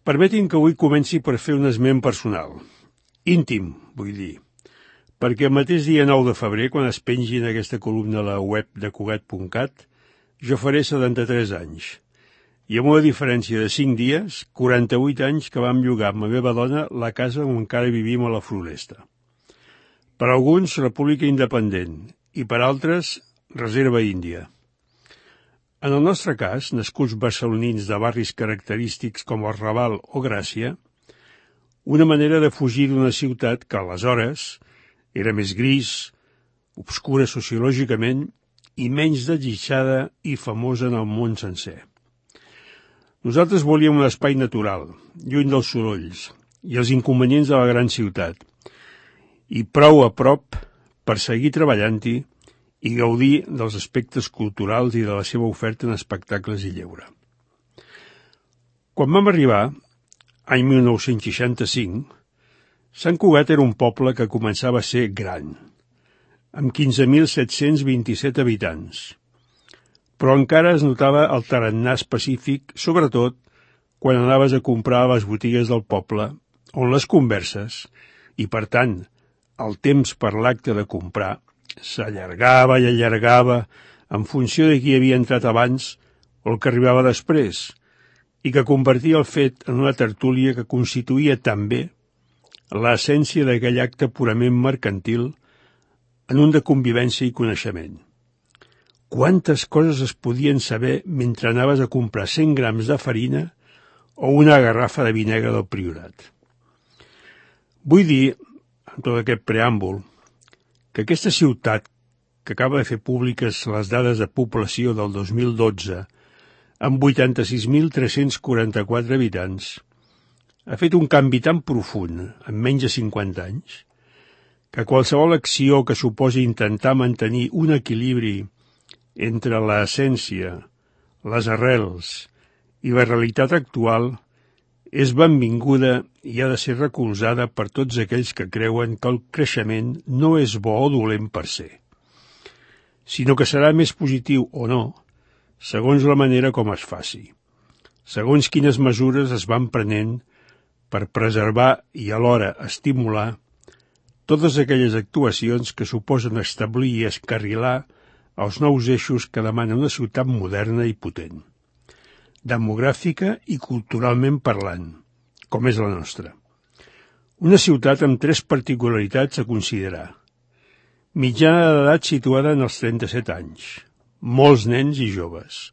Permetin que avui comenci per fer un esment personal. Íntim, vull dir. Perquè el mateix dia 9 de febrer, quan es pengi en aquesta columna a la web de Cugat.cat, jo faré 73 anys. I amb una diferència de 5 dies, 48 anys que vam llogar amb la meva dona la casa on encara vivim a la Floresta. Per alguns, República Independent, i per altres, Reserva Índia. En el nostre cas, nascuts barcelonins de barris característics com el Raval o Gràcia, una manera de fugir d'una ciutat que aleshores era més gris, obscura sociològicament i menys desitjada i famosa en el món sencer. Nosaltres volíem un espai natural, lluny dels sorolls i els inconvenients de la gran ciutat, i prou a prop per seguir treballant-hi i gaudir dels aspectes culturals i de la seva oferta en espectacles i lleure. Quan vam arribar, any 1965, Sant Cugat era un poble que començava a ser gran, amb 15.727 habitants, però encara es notava el tarannà específic, sobretot quan anaves a comprar a les botigues del poble, on les converses, i per tant, el temps per l'acte de comprar, s'allargava i allargava en funció de qui havia entrat abans o el que arribava després, i que convertia el fet en una tertúlia que constituïa també l'essència d'aquell acte purament mercantil en un de convivència i coneixement. Quantes coses es podien saber mentre anaves a comprar 100 grams de farina o una garrafa de vinagre del Priorat. Vull dir, en tot aquest preàmbul, que aquesta ciutat, que acaba de fer públiques les dades de població del 2012, amb 86.344 habitants, ha fet un canvi tan profund en menys de 50 anys, que qualsevol acció que suposi intentar mantenir un equilibri entre l'essència, les arrels i la realitat actual és benvinguda i ha de ser recolzada per tots aquells que creuen que el creixement no és bo o dolent per ser, sinó que serà més positiu o no, segons la manera com es faci, segons quines mesures es van prenent per preservar i alhora estimular totes aquelles actuacions que suposen establir i escarrilar els nous eixos que demana una ciutat moderna i potent, demogràfica i culturalment parlant, com és la nostra. Una ciutat amb 3 particularitats a considerar. Mitjana d'edat situada en els 37 anys, molts nens i joves,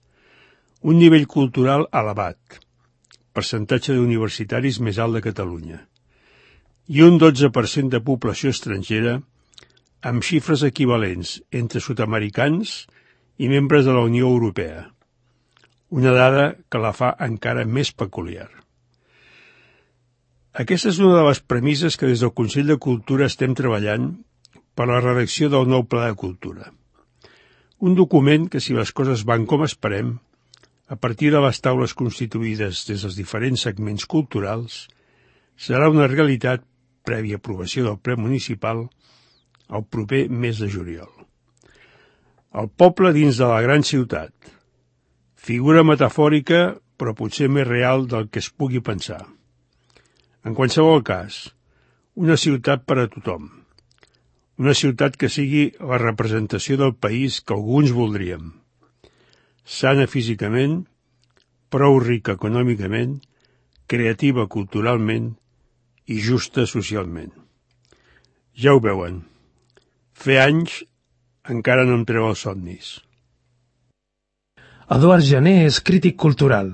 un nivell cultural elevat, percentatge d'universitaris més alt de Catalunya, i un 12% de població estrangera amb xifres equivalents entre sud-americans i membres de la Unió Europea, una dada que la fa encara més peculiar. Aquesta és una de les premisses que des del Consell de Cultura estem treballant per la redacció del nou Pla de Cultura. Un document que, si les coses van com esperem, a partir de les taules constituïdes des dels diferents segments culturals, serà una realitat prèvia aprovació del ple municipal el proper mes de juliol. El poble dins de la gran ciutat, figura metafòrica però potser més real del que es pugui pensar. En qualsevol cas, una ciutat per a tothom. Una ciutat que sigui la representació del país que alguns voldríem. Sana físicament, prou rica econòmicament, creativa culturalment i justa socialment. Ja ho veuen. Fer anys encara no em treu els somnis. Eduard Jané és crític cultural.